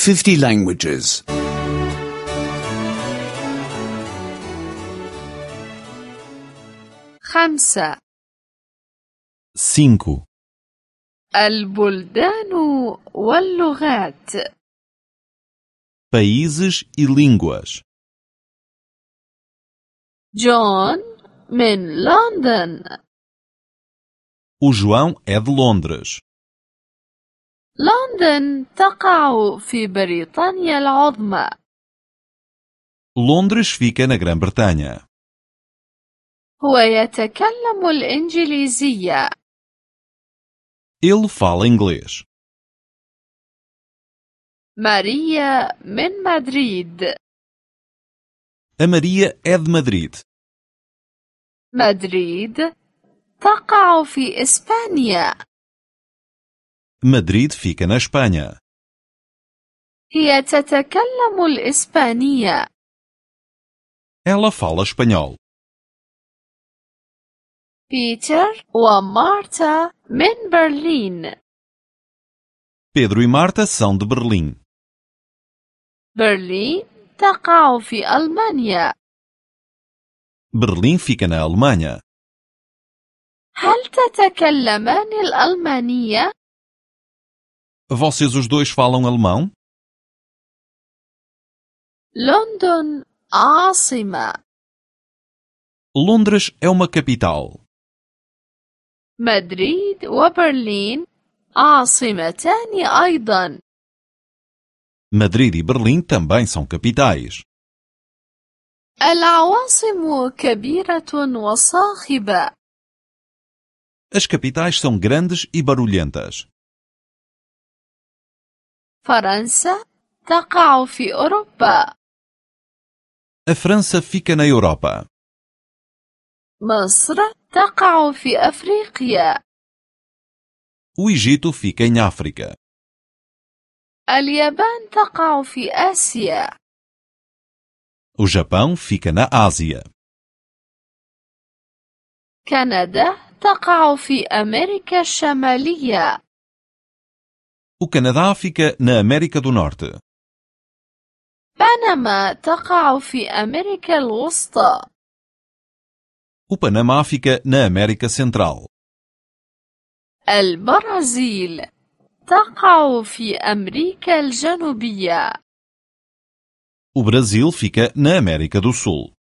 50 languages. 5. 5. البلدان واللغات. Países e línguas. جون من لندن. O João é de Londres. لندن تقع في بريطانيا العظمى. Londres fica na Grã-Bretanha. هو يتكلم الإنجليزية. Ele fala inglês. ماريا من مدريد. A Maria é de Madrid. مدريد تقع في إسبانيا. Madrid fica na Espanha. هي تتكلم الإسبانية. Ela fala espanhol. بيتر ومارتا من برلين. Pedro e Marta são de Berlim. برلين تقع في ألمانيا. Berlim fica na Alemanha. هل تتكلمان الألمانية؟ Vocês os dois falam alemão? لندن عاصمة. Londres é uma capital. مدريد وبرلين عاصمتان أيضا. Madrid e Berlim também são capitais. العواصم كبيرة وصاخبة. As capitais são grandes e barulhentas. فرنسا تقع في أوروبا. A França fica na Europa. مصر تقع في أفريقيا. O Egito fica em África. اليابان تقع في آسيا. O Japão fica na Ásia. كندا تقع في أمريكا الشمالية. O Canadá fica na América do Norte. بنما تقع في أمريكا الوسطى. O Panamá fica na América Central. البرازيل تقع في أمريكا الجنوبية. O Brasil fica na América do Sul.